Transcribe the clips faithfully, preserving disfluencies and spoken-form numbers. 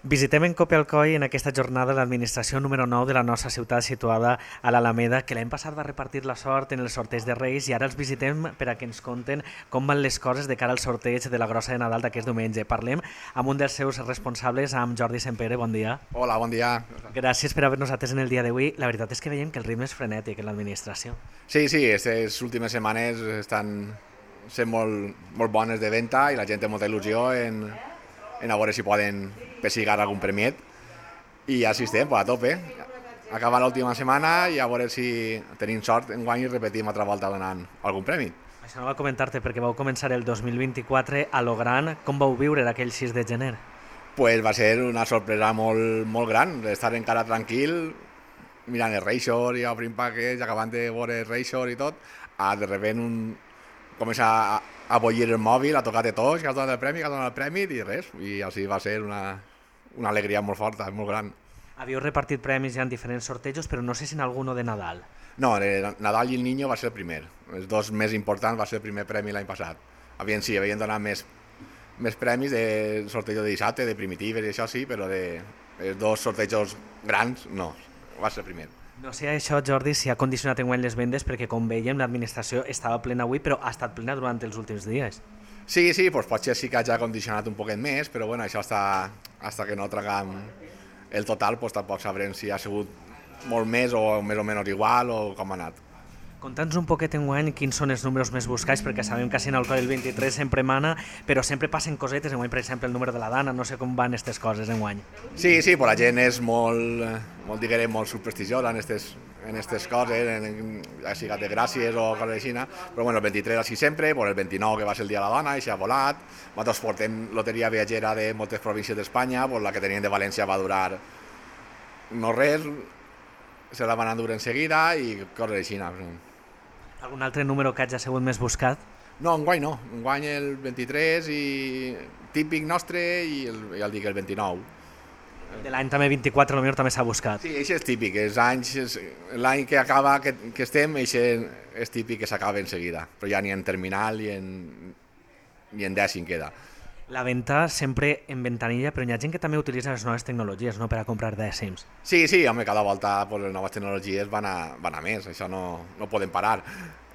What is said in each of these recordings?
Visitem en Copia-Alcoi en aquesta jornada l'administració número nou de la nostra ciutat situada a l'Alameda, que l'any passat va repartir la sort en el sorteig de Reis i ara els visitem per a que ens conten com van les coses de cara al sorteig de la grossa de Nadal d'aquest diumenge. Parlem amb un dels seus responsables, amb Jordi Sempere. Bon dia. Hola, bon dia. Gràcies per haver-nos atès en el dia d'avui. La veritat és que veiem que el ritme és frenètic en l'administració. Sí, sí, aquestes últimes setmanes estan sent molt, molt bones de venda i la gent té molta il·lusió en, en a veure si poden pessigar algun premiet i així estem, a tope. Acaba l'última setmana i a veure si tenim sort enguany i repetim altra volta donant algun premi. Això no va comentar-te perquè vau començar el dos mil vint-i-quatre a lo gran. Com vau viure aquell sis de gener? Pues va ser una sorpresa molt, molt gran, estar encara tranquil mirant el Reixor i obrim paquets, acabant de veure el Reixor i tot, a de repent un... comença a, a bollir el mòbil, a tocar de tots, que has donat el premi, que has donat el premi i res, i així va ser una, una alegria molt forta, molt gran. Havíeu repartit premis ja en diferents sortejos, però no sé si en alguno de Nadal. No, el Nadal i el Niño va ser el primer, els dos més importants va ser el primer premi l'any passat. Havien, sí, havien donat més, més premis de sortejo de dissabte, de primitives i això sí, però de els dos sortejos grans no, va ser el primer. No sé això, Jordi, si ha condicionat enguany les vendes, perquè com veiem l'administració estava plena avui, però ha estat plena durant els últims dies. Sí, sí, doncs potser sí que ha condicionat un poquet més, però bueno, això està, hasta que no traguem el total, doncs tampoc sabrem si ha sigut molt més o més o menys igual o com ha anat. Conta'ns un poquet enguany quins són els números més buscats, perquè sabem que en el Coll el vint-i-tres sempre mana, però sempre passen cosetes, enguany per exemple el número de la Dana, no sé com van aquestes coses enguany. Sí, sí, però la gent és molt, molt diguem, molt supersticiosa en aquestes en aquestes coses, en, ja sigui de gràcies o coses així, però bueno, el vint-i-tres així sempre, però el vint-i-nou que va ser el dia de la dona, i s'ha volat, nosaltres portem loteria viatgera de moltes províncies d'Espanya, pues la que tenien de València va durar no res, se la van endur en seguida i coses així. Algun altre número que hagi sigut més buscat? No, enguany no, enguany el vint-i-tres i típic nostre i el, ja el dic, el vint-i-nou. De l'any també vint-i-quatre potser també s'ha buscat. Sí, això és típic, els anys, l'any que acaba, que, que estem, això és típic que s'acaba en seguida, però ja ni en terminal ni en, ni en dècim queda. La venda sempre en ventanilla, però hi ha gent que també utilitza les noves tecnologies, no?, per a comprar dècims. Sí, sí, home, cada volta pues, les noves tecnologies van a, van a més, això no, no poden parar.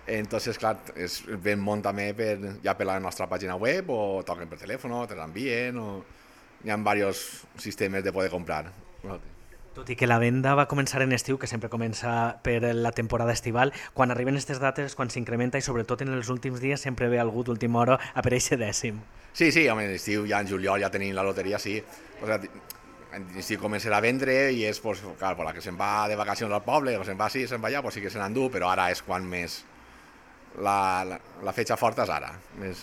Entonces, clar, es ven molt també per, ja per la nostra pàgina web, o toquen per telèfon, te l'envien, o hi ha diversos sistemes de poder comprar. Tot i que la venda va començar en estiu, que sempre comença per la temporada estival, quan arriben aquestes dates, quan s'incrementa i sobretot en els últims dies sempre ve algú d'última hora a per eixe dècim. Sí, sí, home, en estiu, ja en juliol ja tenim la loteria, sí. O sigui, en estiu començarà a vendre i és, pues, clar, per la que se'n va de vacacions al poble, o se'n va així, se'n va allà, pues sí que se n'endú, però ara és quan més la, la, la fetge forta és ara. Més...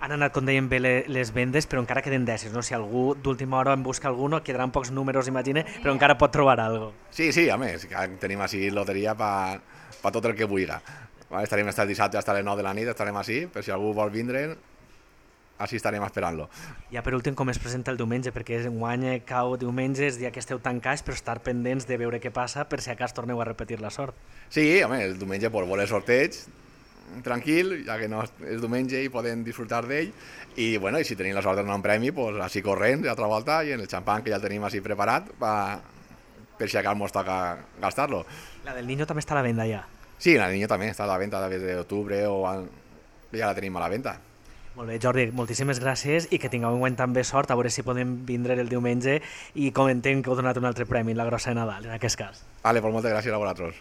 Han anat, com dèiem, bé les vendes, però encara queden dècims, no? Si algú d'última hora en busca alguno, quedaran pocs números, imagine, però encara pot trobar alguna cosa. Sí, sí, a més, tenim així loteria per pa tot el que vulgui. Vale, estarem el dissabte fins a les nou de la nit, estarem així, per si algú vol vindre, així estarem esperant-lo. Ja per últim, com es presenta el diumenge, perquè enguany cau diumenge, és dia que esteu tancats, però estar pendents de veure què passa per si a cas torneu a repetir la sort. Sí, home, el diumenge pues, vol el sorteig, tranquil, ja que no és diumenge i podem disfrutar d'ell, i bueno, i si tenim la sort de donar un premi, pues, així corrents, altra volta, i en el xampany que ja el tenim així preparat, pa, per si a cas mos toca gastar-lo. La del Niño també està a la venda ja? Sí, la del Niño també està a la venda des d'octubre, o a... ja la tenim a la venda. Molt bé, Jordi, moltíssimes gràcies i que tingueu enguany també sort, a veure si podem vindre el diumenge i comentem que heu donat un altre premi, la grossa de Nadal, en aquest cas. Vale, pues moltes gràcies a vosaltres.